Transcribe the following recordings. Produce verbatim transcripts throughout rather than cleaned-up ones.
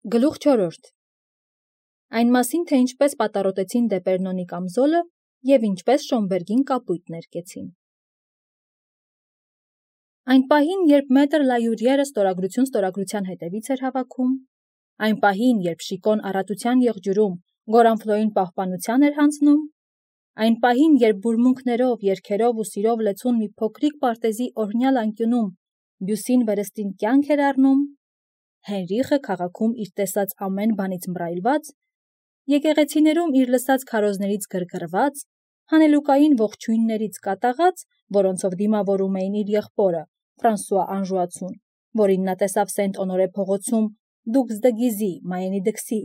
Գլուխ չորրորդ. Այն մասին, թե ինչպես պատառոտեցին Դեպերնոնի կամզոլը և ինչպես Շոմբերգին կապույտ ներկեցին։ Այն պահին, երբ մետր Լայուրիերը ստորագրություն ստորագրության հետևից էր հավաքում, այն պահին, երբ Շիկոն առատության եղջյուրում Գորանֆլոյին պահպանության էր հանձնում, այն պահին, երբ բուրմունքներով, երգերով ու սիրով լեցուն մի փոքրիկ պարտեզի օրհնյալ անկյունում Բյուսին վերստին կյանք էր առնում, Հենրիխը քաղաքում իր տեսած ամեն բանից մռայլված, եկեղեցիներում իր լսած քարոզներից գրգռված, հանելուկային ողջույններից կատաղած, որոնցով դիմավորում էին իր եղբորը Ֆրանսուଆ Անժուացուն, որին նա տեսավ Սենտ Օնորե փողոցում Դուքս դը Գիզի, Մայենի դքսի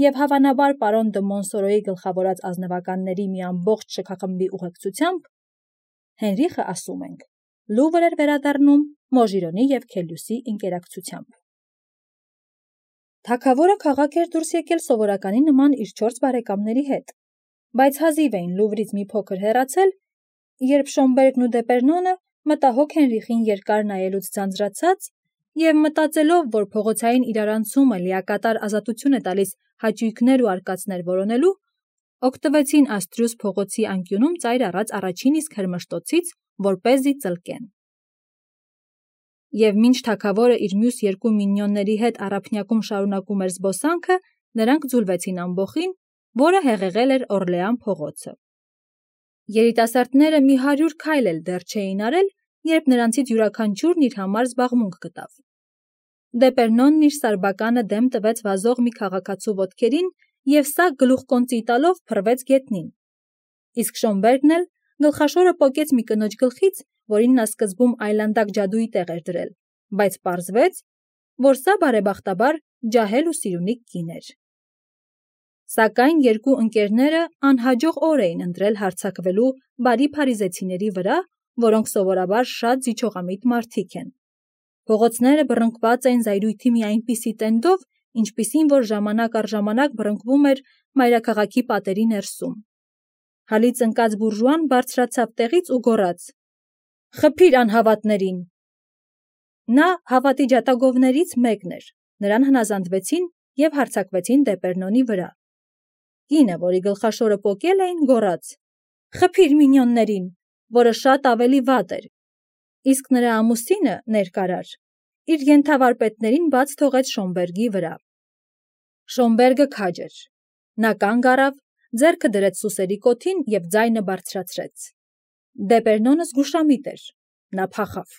և հավանաբար պարոն դը Մոնսորոյի գլխավորած ազնվականների մի ամբողջ շքախմբի ուղեկցությամբ, Հենրիխը, ասում ենք, Լուվր էր վերադառնում Մոժիրոնի և Քելյուսի ընկերակցությամբ։ Թագավորը քաղաք էր դուրս եկել սովորականի նման իր չորս բարեկամների հետ, բայց հազիվ էին Լուվրից մի փոքր հեռացել, երբ Շոմբերգն ու Դեպերնոնը մտահոգ Հենրիխին երկար նայելուց ձանձրացած և մտածելով, որ փողոցային իրարանցումը լիակատար ազատություն է տալիս հաճույքներ ու արկածներ որոնելու, օգտվեցին Աստրուս փողոցի անկյունում ծայր առած առաջին իսկ հրմշտոցից, որպեսզի ծլկեն։ Եվ մինչ թագավորը իր մյուս երկու մինիոնների հետ առափնյակում շարունակում էր զբոսանքը, նրանք ձուլվեցին ամբոխին, որը հեղեղել էր Օրլեան փողոցը։ Երիտասարդները մի հարյուր քայլ էլ դեռ չէին արել, երբ նրանցից յուրաքանչյուրն իր համար զբաղմունք գտավ։ Դեպերնոնն իր սարբականը դեմ տվեց վազող մի քաղաքացու ոտքերին և սա գլուխկոնծի տալով փռվեց գետնին։ Իսկ Շոմբերգն էլ գլխաշորը պոկեց մի կնոջ գլխից, որին նա սկզբում այլանդակ ջադուի տեղ էր դրել, բայց պարզվեց, որ սա բարեբախտաբար ջահել ու սիրունիկ կին էր։ Սակայն երկու ընկերները անհաջող օր էին ընտրել հարձակվելու բարի փարիզեցիների վրա, որոնք սովորաբար շատ զիջողամիտ մարդիկ են։ Փողոցները բռնկված էին զայրույթի մի այնպիսի տենդով, ինչպիսին որ ժամանակ առ ժամանակ բռնկվում էր մայրաքաղաքի պատերի ներսում։ Հալից ընկած բուրժուան բարձրացավ տեղից ու գոռաց. «Խփիր անհավատներին»։ Նա հավատի ջատագովներից մեկն էր, նրան հնազանդվեցին և հարձակվեցին Դեպերնոնի վրա։ Կինը, որի գլխաշորը պոկել էին, գոռաց. «Խփիր մինիոններին», որը շատ ավելի վատ էր, իսկ նրա ամուսինը, ներկարար, իր ենթավարպետներին բաց թողեց Շոմբերգի վրա։ Շոմբերգը քաջ էր։ Նա կանգ առավ, ձեռքը դրեց սուսերի կոթին և ձայնը բարձրացրեց։ Դեպերնոնը զգուշամիտ էր, նա փախավ։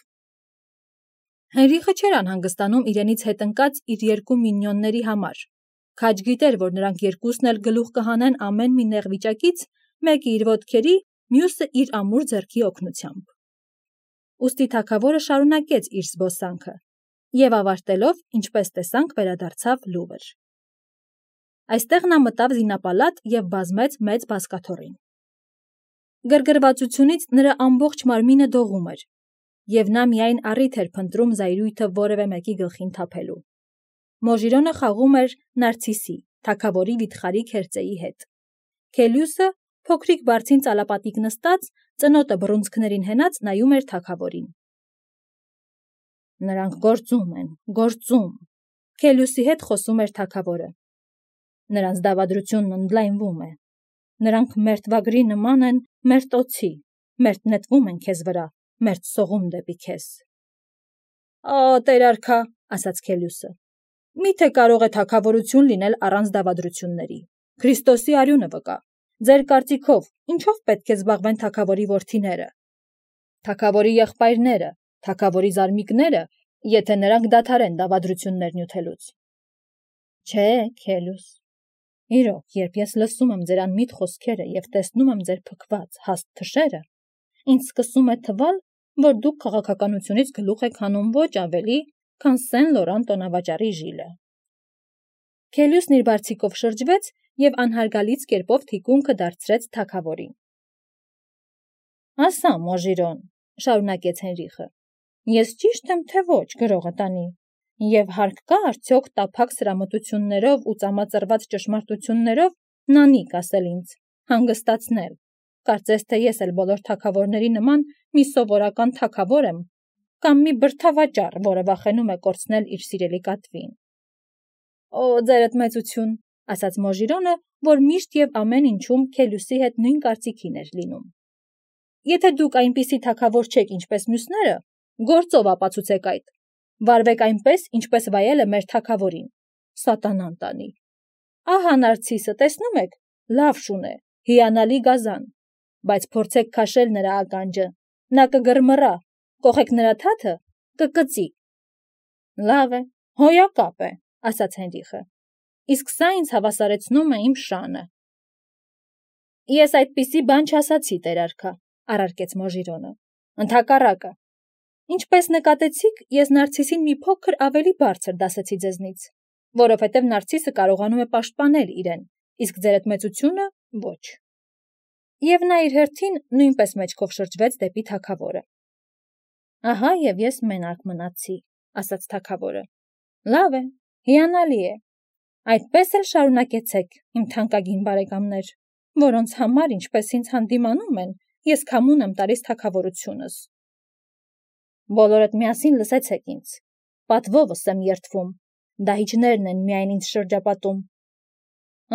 Հենրիխը չէր անհանգստանում իրենից հետ ընկած իր երկու մինիոնների համար, քաջ գիտեր, որ նրանք երկուսն էլ գլուխ կհանեն ամեն մի նեղ վիճակից, մեկը իր ոտքերի, մյուսը իր ամուր ձեռքի օգնությամբ։ Ուստի թագավորը շարունակեց իր զբոսանքը և ավարտելով, ինչպես տեսանք, վերադարձավ Լուվր։ Այստեղ նա մտավ զինապալատ և բազմեց մեծ բազկաթոռին։ Գրգռվածությունից նրա ամբողջ մարմինը դողում էր, և նա միայն առիթ էր փնտրում զայրույթը որևէ մեկի գլխին թափելու։ Մոժիրոնը խաղում էր Նարցիսի, թագավորի վիթխարի քերծեի հետ։ Քելյուսը, փոքրիկ բարձին ծալապատիկ նստած, ծնոտը բռունցքներին հենած նայում էր թագավորին։ Նրանք գործում են, գործում, Քելյուսի հետ խոսում էր թագավորը։ Նրանց դավադրությունն ընդլայնվում է։ Նրանք մերթվագրի նման են մերթ օձի, մերթ նետվում են քեզ վրա, մերթ սողում դեպի քեզ։ Ա, տեր-արքա, ասաց Քելյուսը, միթե կարող է թագավորություն լինել առանց դավադրությունների։ Քրիստոսի արյունը վկա։ Ձեր կարծիքով ինչով պետք է զբաղվեն թագավորի որդիները, թագավորի եղբայրները, թագավորի զարմիկները, եթե նրանք դադարեն դավադրություններ նյութելուց։ Չէ, Քելյուս, իրոք, երբ ես լսում եմ ձեր անմիտ խոսքերը և տեսնում եմ ձեր փքված, հաստ թշերը, ինձ սկսում է թվալ, որ դուք քաղաքականությունից գլուխ եք հանում ոչ ավելի, քան Սեն Լորան տոնավաճառի Ժիլը։ Քելյուսն իր բարձիկով շրջվեց և անհարգալից կերպով թիկունքը դարձրեց թագավորին։ Ասա, Մոժիրոն, շարունակեց Հենրիխը, ես ճիշտ եմ, թե ոչ, գրողը տանի, և հարկ կա արդյոք տափակ սրամտություններով ու ծամածռված ճշմարտություններով նանիք ասել ինձ, հանգստացնել, կարծես թե ես էլ բոլոր թագավորների նման մի սովորական թագավոր եմ, կամ մի բրդավաճառ, որը վախենում է կորցնել իր սիրելի կատվին։ Օ, ձերդ մեծություն, ասաց Մոժիրոնը, որ միշտ եւ ամեն ինչում Քելյուսի հետ նույն կարծիքին էր լինում։ Եթե դուք այնպիսի թագավոր չեք, ինչպես մյուսները, գործով ապացուցեք այդ։ Վարվեք այնպես, ինչպես վայել է մեր թագավորին։ Սատանան տանի։ Ահա Նարցիսը, տեսնում եք, լավ շուն է, հիանալի գազան, բայց փորձեք քաշել նրա ականջը, նա կգռմռա, կողեք նրա թաթը, կկծի։ Լավ է, հոյակապ է, ասաց Հենրիխը, իսկ սա ինձ հավասարեցնում է իմ շանը։ Ես այդպիսի բան չասացի, տեր-արքա, առարկեց Մոժիրոնը, ընդհակառակը։ Ինչպես նկատեցիք, ես Նարցիսին մի փոքր ավելի բարձր դասեցի ձեզնից, որովհետև Նարցիսը կարողանում է պաշտպանել իրեն, իսկ ձերդ մեծությունը ոչ։ Եվ նա իր հերթին նույնպես մեջքով շրջվեց դեպի թագավորը։ Ահա եւ ես մենակ մնացի, ասաց թագավորը։ Լավ է, հիանալի է։ Այդպես էլ շարունակեցեք, իմ թանկագին բարեկամներ, որոնց համար, ինչպես ինձ հանդիմանում են, ես քամուն եմ տալիս թագավորությունս։ Բոլորդ միասին լսեցեք ինձ, պատվովս եմ երդվում, դահիճներն են միայն ինձ շրջապատում։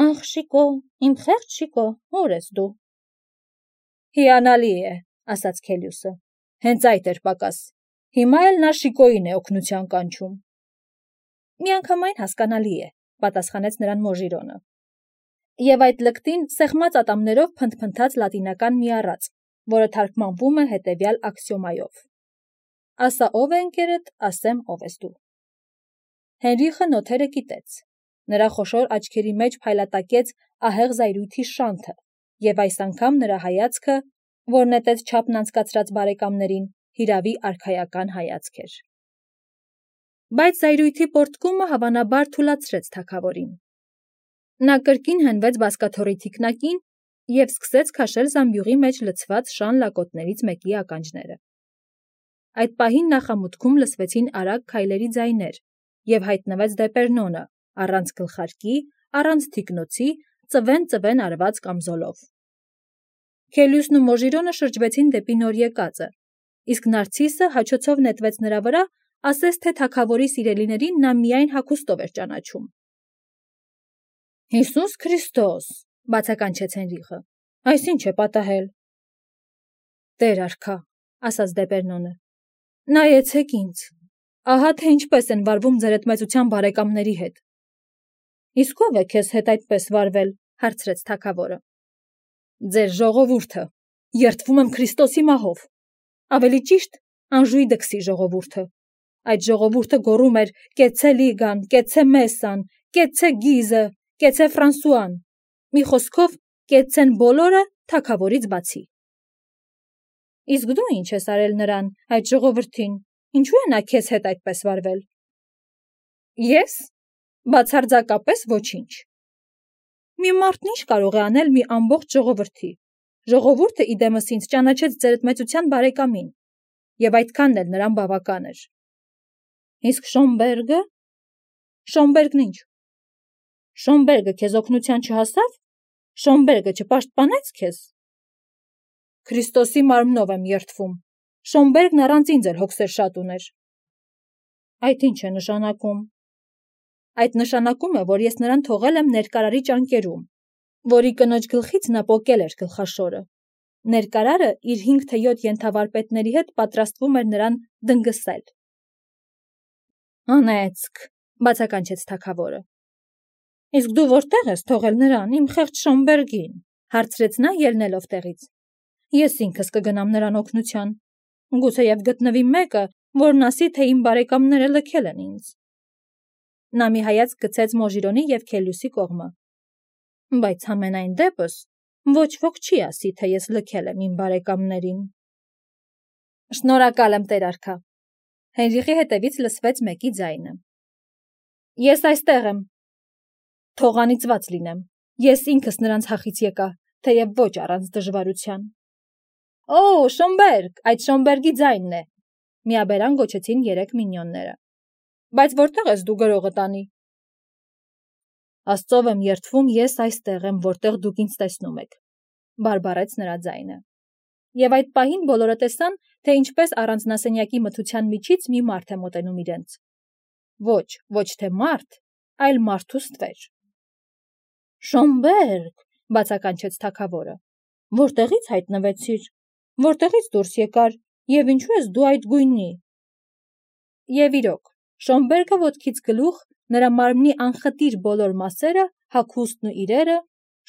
Ախ, Շիկո, իմ խեղճ Շիկո, ո՞ւր ես դու։ Հիանալի է, ասաց Քելյուսը, հենց այդ էր պակաս, հիմա էլ նա Շիկոյին է օգնության կանչում։ Միանգամայն հասկանալի է, պատասխանեց նրան Մոժիրոնը։ Եվ այդ լկտին սեղմած ատամներով փնթփնթաց լատինական մի առած, որը թարգմանվում է հետևյալ աքսիոմայով. Ասա ով է ընկերդ, ասեմ ով ես դու։ Հենրիխը նոթերը կիտեց։ Նրա խոշոր աչքերի մեջ փայլատակեց ահեղ զայրույթի շանթը, եւ այս անգամ նրա հայացքը, որ նետեց չափն անցկացրած բարեկամներին, հիրավի արքայական հայացք էր։ Բայց զայրույթի պոռթկումը հավանաբար թուլացրեց թագավորին։ Նա կրկին հենվեց բազկաթոռի թիկնակին եւ սկսեց քաշել զամբյուղի մեջ լցված շան լակոտներից մեկի ականջները։ Այդ պահին նախամուտքում լսվեցին արագ քայլերի ձայներ եւ հայտնվեց Դեպերնոնը, առանց գլխարկի, առանց թիկնոցի, ծվեն-ծվեն արված կամզոլով։ Քելյուսն ու Մոժիրոնը շրջվեցին դեպի նոր եկածը, իսկ Նարցիսը հաչոցով նետվեց նրա վրա, ասես թե թագավորի սիրելիներին նա միայն հագուստով էր ճանաչում։ Հիսուս Քրիստոս, բացականչեց Հենրիխը, այս ինչ է պատահել։ Տեր արքա, ասաց Դեպերնոնը, նայեցեք ինձ, ահա թե ինչպես են վարվում ձերդ մեծության բարեկամների հետ։ Իսկ ով է քեզ հետ այդպես վարվել, հարցրեց թագավորը։ Ձեր ժողովուրդը, երդվում եմ Քրիստոսի մահով, ավելի ճիշտ անժույ դքսի ժողովուրդը։ Այդ ժողովուրդը գոռում էր կեցե Լիգան, կեցե Մեսան, կեցե Գիզը, կեցե Ֆրանսուան, մի խոսքով կեցեն բոլորը թագավորից բացի։ Իսկ դու ինչ ես արել նրան, այդ ժողովրդին, ինչու է նա քեզ հետ այդպես վարվել։ Ես բացարձակապես ոչինչ։ Մի մարդն ինչ կարող է անել մի ամբողջ ժողովրդի։ Ժողովուրդը իդեմս ինձ ճանաչեց ձերդ մեծության բարեկամին, եւ այդքանն էլ նրան բավական էր։ Իսկ Շոմբերգը։ Շոմբերգն ինչ։ Շոմբերգը քեզ օգնության չհասավ։ Շոմբերգը չպաշտպանեց քեզ։ Քրիստոսի մարմնով եմ երդվում։ Շոմբերգն առանց ինձ էլ հոգսեր շատ ուներ։ Այդ ինչ է նշանակում։ Այդ նշանակում է, որ ես նրան թողել եմ ներկարարի ճանկերում, որի կնոջ գլխից նա պոկել էր գլխաշորը։ Ներկարարը իր հինգ թե յոթ ենթավարպետների հետ պատրաստվում էր նրան դնգսել։ Անեցք, բացականչեց թագավորը։ Իսկ դու որտեղ ես թողել նրան, իմ խեղճ Շոմբերգին, հարցրեց նա ելնելով տեղից։ Ես ինքս կգնամ նրան օգնության։ Գուցեև գտնվի մեկը, որն ասի, թե իմ բարեկամները լքել են ինձ։ Նա մի հայացք գցեց Մոժիրոնի եւ Քելյուսի կողմը։ Բայց համենայն դեպս ոչ ոք չի ասի, թե ես լքել եմ իմ բարեկամներին։ Շնորհակալ եմ, տեր արքա։ Հենրիխի հետևից լսվեց մեկի ձայնը։ Ես այստեղ եմ։ Թող անիծված լինեմ։ Ես ինքս նրանց հախից եկա, թեև ոչ առանց դժվարության։ Օ, Շոմբերգ, այդ Շոմբերգի ձայնն է։ Միաբերան գոչեցին երեք մինյոնները։ Բայց որտեղ ես դու գրողը տանի։ Աստծով եմ երդվում, ես այստեղ եմ, որտեղ դուք ինձ տեսնում եք, բարբարեց նրա ձայնը։ Եվ այդ պահին բոլորը տեսան, թե ինչպես առանձնասենյակի մթության միջից մի մարդ է մոտենում իրենց։ Ոչ, ոչ թե մարդ, այլ մարդու ստվեր։ Շոմբերգ, բացականչեց թագավորը, որտեղից հայտնվեցիր, որտեղից դուրս եկար, եւ ինչու ես դու այդ գույնի։ Եվ իրոք, Շոմբերգը ոտքից գլուխ, նրա մարմնի անխտիր բոլոր մասերը, հագուստն ու իրերը,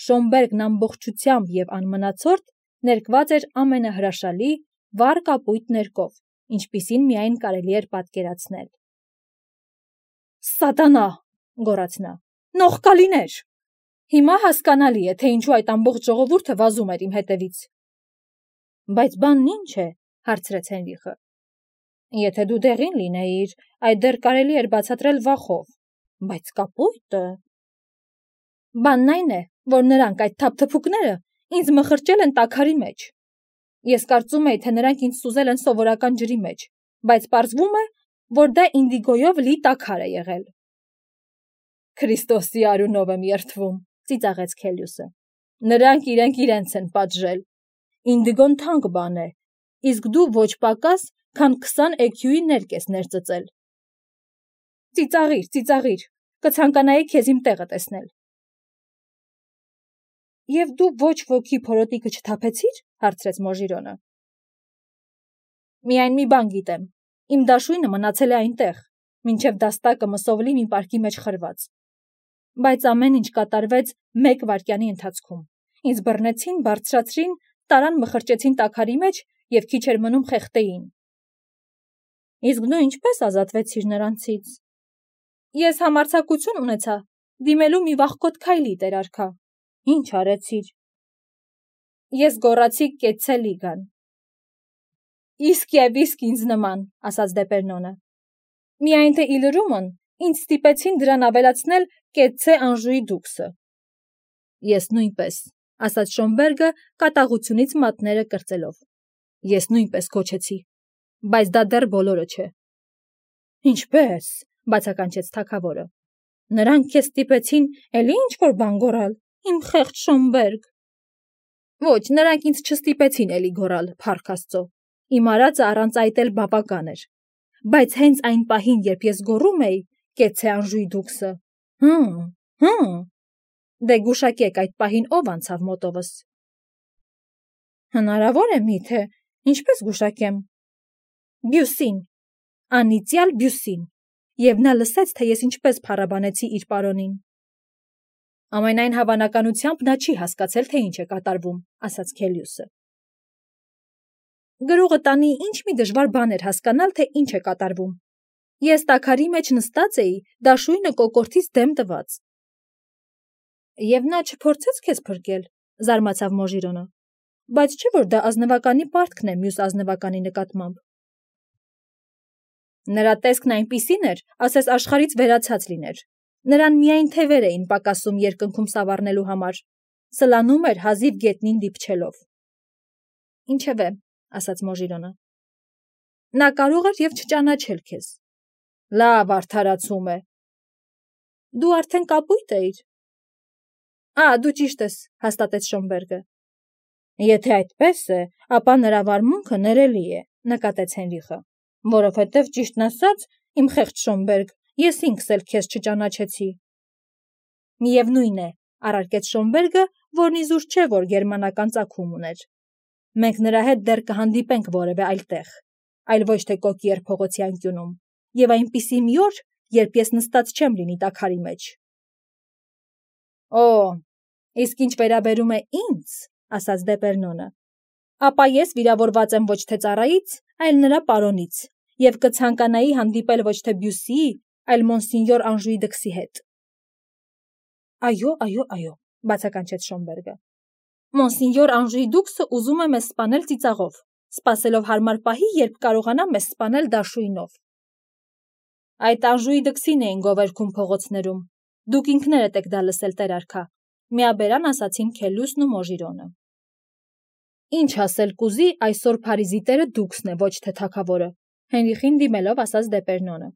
Շոմբերգն ամբողջությամբ եւ անմնացորդ ներկված էր ամենահրաշալի վառ կապույտ ներկով, ինչպիսին միայն կարելի էր պատկերացնել։ Սատանա, գոռաց նա, նողկալիներ։ Հիմա հասկանալի է, թե ինչու այդ ամբողջ ժողովուրդը վազում էր իմ հետևից։ Բայց բանն ինչ է, հարցրեց Հենրիխը։ Եթե դու դեղին լինեիր, այդ դեռ կարելի էր բացատրել վախով, բայց կապույտը… Բանն այն է, որ նրանք այդ թափթփուկները ինձ մխրճել են տաքարի մեջ։ Ես կարծում էի, թե նրանք ինձ սուզել են սովորական ջրի մեջ, բայց պարզվում է, որ դա ինդիգոյով լի տաքար է եղել։ Քրիստոսի արյունով եմ երդվում, ծիծաղեց Քելիուսը։ Նրանք իրենք իրենց են պատժել։ Ինդիգոն թանկ բան է, իսկ դու ոչ պակաս, քան քսան էքյուի ներկ ես ներծծել։ Ծիծաղիր, ծիծաղիր, կցանկանայի քեզ իմ տեղը տեսնել։ Եվ դու ոչ ոքի փորոտիքը չթափեցիր, հարցրեց Մոժիրոնը։ Միայն մի բան գիտեմ, իմ դաշույնը մնացել է այնտեղ, մինչև դաստակը մսովլի մի պարկի մեջ խրված։ Բայց ամեն ինչ կատարվեց մեկ վայրկյանի ընթացքում։ Ինձ բռնեցին, բարձրացրին, տարան մխրճեցին տաքարի մեջ եւ քիչ էր մնում խեղդեին։ Իսկ դու ինչպես ազատվեցիր նրանցից։ Ես համարձակություն ունեցա դիմելու մի վախկոտ քայլի, տեր արքա։ Ինչ արեցիր։ Ես գոռացի կեցցե լիգան։ Իսկ եւ իսկ ինձ նման, ասաց Դեպերնոնը։ Միայն թե իլրումն ինձ ստիպեցին դրան ավելացնել կեցցե Անժուի դուքսը։ Ես նույնպես, ասաց Շոմբերգը կատաղությունից մատները կրծելով։ Ես նույնպես քոչեցի, բայց դա դեռ բոլորը չէ։ Ինչպես, բացականչեց թագավորը։ Նրանք քեզ ստիպեցին էլի ինչ-որ բան գոռալ, իմ խեղճ Շոմբերգ։ Ոչ, նրանք ինձ չստիպեցին էլի գոռալ, փառք Աստծո։ Իմ արածը առանց այդ էլ բավական էր։ Բայց հենց այն պահին, երբ ես գոռում էի, կեցցե Անժուի դուքսը։ Հմ, հմ։ Դե գուշակեք այդ պահին ով անցավ մոտովս։ Հնարավոր է միթե, ինչպես գուշակեմ։ Բյուսին, անիծյալ Բյուսին, եւ նա լսեց, թե ես ինչպես փառաբանեցի իր պարոնին։ Ամենայն հավանականությամբ նա չի հասկացել, թե ինչ է կատարվում, ասաց Քելիուսը։ Գրողը տանի ինչ մի դժվար բան էր հասկանալ, թե ինչ է կատարվում։ Ես տաքարի մեջ նստած էի, դաշույնը կոկորդից դեմ տված։ Եվ նա չփորձեց քեզ փրկել, զարմացավ Մոժիրոնը, բայց չէ՞ որ դա ազնվականի պարտքն է մյուս ազնվականի նկատմամբ։ Նրա տեսքն այնպիսին էր, ասես աշխարից վերացած լիներ։ Նրան միայն թևեր էին պակասում երկնքում սավառնելու համար, սլանում էր հազիվ գետնին դիպչելով։ Ինչևէ, ասաց Մոժիրոնը։ Նա կարող էր եւ չճանաչել քեզ։ Լավ արդարացում է։ Դու արդեն կապույտ էիր։ Ա, դու ճիշտ ես, հաստատեց Շոմբերգը։ Եթե այդպես է, ապա նրա վարմունքը ներելի է, նկատեց Հենրիխը, որովհետև ճիշտն ասած, իմ խեղճ Շոմբերգ, ես ինքս էլ քեզ չճանաչեցի։ Միևնույն է, առարկեց Շոմբերգը, որն իզուր չէ, որ գերմանական ծագում ուներ։ Մենք նրա հետ դեռ կհանդիպենք որևէ այլ տեղ, այլ ոչ թե Կոկիեր փողոցի անկյունում, եւ այնպիսի մի օր, երբ ես նստած չեմ լինի տաքարի մեջ։ Օ, իսկ ինչ վերաբերում է ինձ, ասաց Դեպերնոնը, ապա ես վիրավորված եմ ոչ թե ծառայից, այլ նրա պարոնից, եւ կցանկանայի հանդիպել ոչ թե Բյուսիի, այլ Մոնսինյոր Անժուի դքսի հետ։ Այո, այո, այո, բացականչեց Շոմբերգը։ Մոնսինյոր Անժուի դուքսը ուզում է մեզ սպանել ծիծաղով, սպասելով հարմար պահի, երբ կարողանա մեզ սպանել դաշույնով։ Այդ Անժուի դքսին էին գովերքում փողոցներում։ Դուք ինքներդ եք դա լսել, տեր արքա, միաբերան ասացին Քելիուսն ու Մոժիրոնը։ Ինչ ասել կուզի, այսօր Փարիզի տերը դուքսն է, ոչ թե թագավորը, Հենրիխին դիմելով ասաց Դեպերնոնը։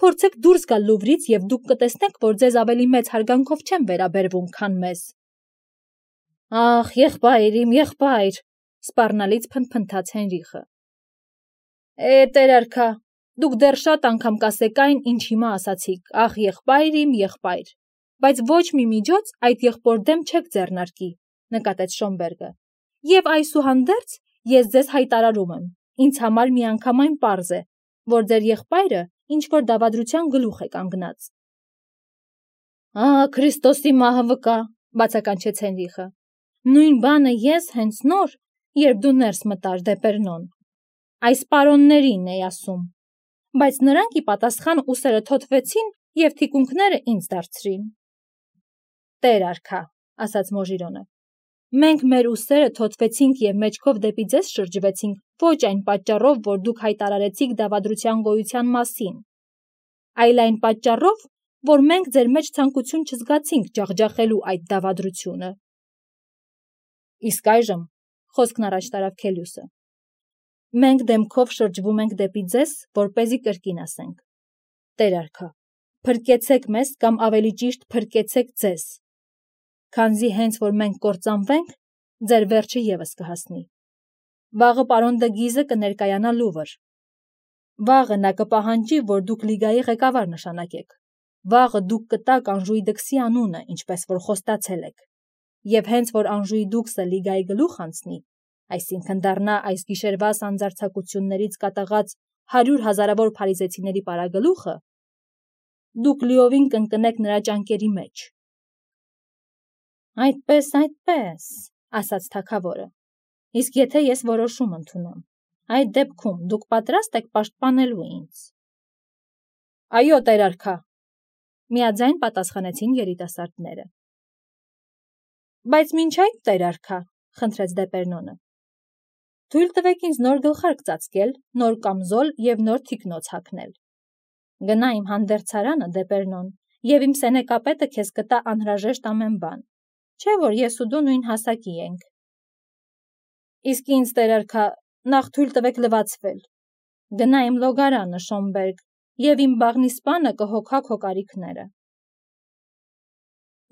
Փորձեք դուրս գալ Լուվրից եւ դուք կտեսնեք, որ ձեզ ավելի մեծ հարգանքով չեն վերաբերվում, քան մեզ։ Ախ, եղբայր իմ, եղբայր, սպառնալից փնփնթաց Հենրիխը։ Է, տեր արքա, Դուք դեռ շատ անգամ կասեք այն, ինչ հիմա ասացիք, ախ եղբայր իմ, եղբայր, բայց ոչ մի միջոց այդ եղբոր դեմ չեք ձեռնարկի, նկատեց Շոնբերգը։ Եվ այսուհանդերձ ես ձեզ հայտարարում եմ, ինձ համար միանգամայն պարզ է, որ ձեր եղբայրը ինչ-որ դավադրության գլուխ է կանգնած։ Ահա Քրիստոսի մահը վկա, բացականչեց Հենրիխը։ Նույն բանը ես հենց նոր, երբ դու ներս մտար դեպերնոն, այս պարոններին էի ասում, բայց նրանք ի պատասխան ուսերը թոթվեցին և թիկունքները ինձ դարձրին։ Տեր արքա, ասաց Մոժիրոնը, մենք մեր ուսերը թոթվեցինք և մեջքով դեպի ձեզ շրջվեցինք ոչ այն պատճառով, որ դուք հայտարարեցիք դավադրության գոյության մասին, այլ այն պատճառով, որ մենք ձեր մեջ ցանկություն չզգացինք ջախջախելու այդ դավադրությունը։ Իսկ այժմ, խոսքն առաջ տարավ Քելյուսը, մենք դեմքով շրջվում ենք դեպի ձեզ, որպեսզի կրկին ասենք. Տեր արքա, փրկեցեք մեզ կամ ավելի ճիշտ փրկեցեք ձեզ, քանզի հենց որ մենք կործանվենք, ձեր վերջը ևս կհասնի։ Վաղը պարոն Դգիզը կներկայանա Լուվր։ Վաղը նա կպահանջի, որ դուք լիգայի ղեկավար նշանակեք։ Վաղը դուք կտաք Անժուի Դքսի անունը, ինչպես որ խոստացել եք։ Եվ հենց որ Անժուի Դուքսը լիգայի գլուխ անցնի, այսինքն դառնա այս գիշերվա սանձարձակություններից կատաղած հարյուր հազարավոր փարիզեցիների պարագլուխը, դուք լիովին կընկնեք նրա ճանկերի մեջ։ Այդպես, այդպես, ասաց թագավորը, իսկ եթե ես որոշում ընդունեմ, այդ դեպքում դուք պատրաստ եք պաշտպանելու ինձ։ Այո, տեր արքա, միաձայն պատասխանեցին երիտասարդները։ Բայց մինչ այդ, տեր արքա, խնդրեց Դեպերնոնը, թույլ տվեք ինձ նոր գլխարկ ծածկել, նոր կամզոլ և նոր թիկնոց հագնել։ Գնա իմ հանդերձարանը, Դեպերնոն, և իմ սենեկապետը քեզ կտա անհրաժեշտ ամեն բան, չէ՞ որ ես ու դու նույն հասակի ենք։ Իսկ ինձ, տեր արքա, նախ թույլ տվեք լվացվել։ Գնա իմ լոգարանը, Շոնբերգ, և իմ բաղնիսպանը կհոգա քո կարիքները։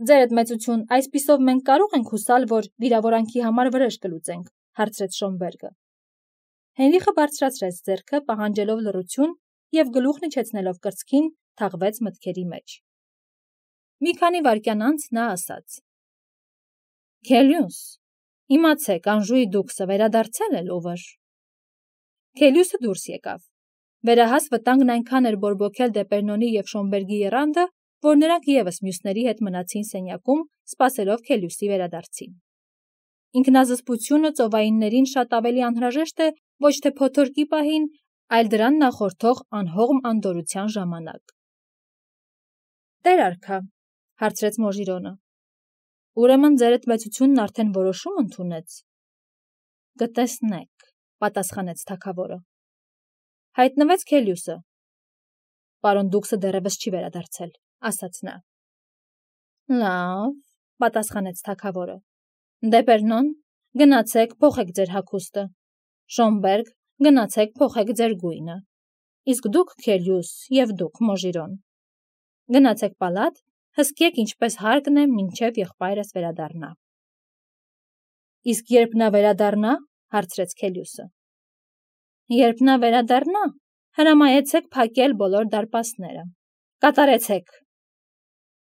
Ձերդ մեծություն, այսպիսով մենք կարող ենք հուսալ, որ վիրավորանքի համար վրեժ կլուծենք, հարցրեց Շոնբերգը։ Հենրիխը բարձրացրեց ձեռքը, պահանջելով լռություն, և գլուխն իջեցնելով կրծքին, թաղվեց մտքերի մեջ։ Մի քանի վայրկյան անց նա ասաց. Քելյուս, իմացեք, Անժուի Դուքսը վերադարձել է Լուվր։ Քելյուսը դուրս եկավ։ Վերահաս վտանգն այնքան էր բորբոքել Դեպերնոնի և Շոնբերգի եռանդը, որ նրանք ևս մյուսների հետ մնացին սենյակում, սպասելով Քելյուսի վերադարձին։ Ինքնազսպությունը ծովայիններին շատ ավելի անհրաժեշտ է ոչ թե փոթորկի պահին, այլ դրան նախորդող անհողմ անդորրության ժամանակ։ Տեր արքա, հարցրեց Մոժիրոնը, ուրեմն ձերդ մեծությունն արդեն որոշում ընդունեց։ Կտեսնեք, պատասխանեց թագավորը։ Հայտնվեց Քելյուսը։ Պարոն Դուքսը դեռևս չի վերադարձել, ասաց նա։ Լավ, պատասխանեց թագավորը։ Դեպերնոն, գնացեք, փոխեք ձեր հագուստը։ Շոնբերգ, գնացեք, փոխեք ձեր գույնը։ Իսկ դուք, Քելյուս, և դուք, Մոժիրոն, գնացեք պալատ, հսկեք ինչպես հարկն է, մինչև եղբայրս վերադառնա։ Իսկ երբ նա վերադառնա, հարցրեց Քելյուսը։ Երբ նա վերադառնա, հրամայեցեք փակել բոլոր դարպասները։ Կատարեցեք։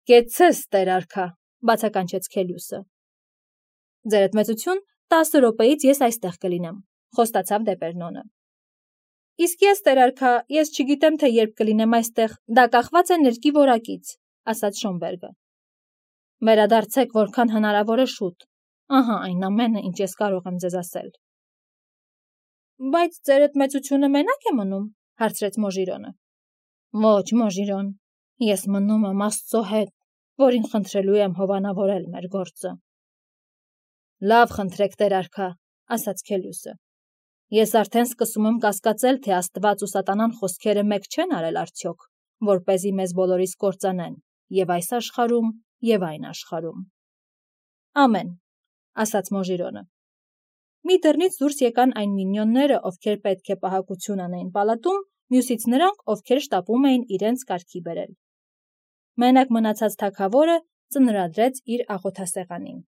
Կեցցես, տեր արքա, բացականչեց Քելյուսը։ Ձերդ մեծություն, տասը րոպեից ես այստեղ կլինեմ, խոստացավ Դեպերնոնը։ Իսկ ես, տեր արքա, ես չգիտեմ, թե երբ կլինեմ այստեղ, դա կախված է ներկի որակից, ասաց Շոնբերգը։ Վերադարձեք որքան հնարավոր է շուտ, ահա այն ամենը, ինչ ես կարող եմ ձեզ ասել։ Բայց ձերդ մեծությունը մենակ է մնում, հարցրեց Մոժիրոնը։ Ոչ, Մոժիրոն, ես մնում եմ Աստծո հետ, որին խնդրելու եմ հովանավորել մեր գործը։ Լավ խնդրեք, տեր արքա, ասաց Քելյուսը։ Ես արդեն սկսում եմ կասկածել, թե Աստված ու սատանան խոսքերը մեկ չեն արել արդյոք, որպեսզի մեզ բոլորիս կործանեն, և այս աշխարհում, և այն աշխարհում։ Ամեն, ասաց Մոժիրոնը։ Մի դռնից դուրս եկան այն մինյոնները, ովքեր պետք է պահակություն անեին պալատում, մյուսից նրանք, ովքեր շտապում էին իրենց կարգի բերել։ Մենակ մնացած թագավորը ծնրադրեց իր աղոթասեղանին։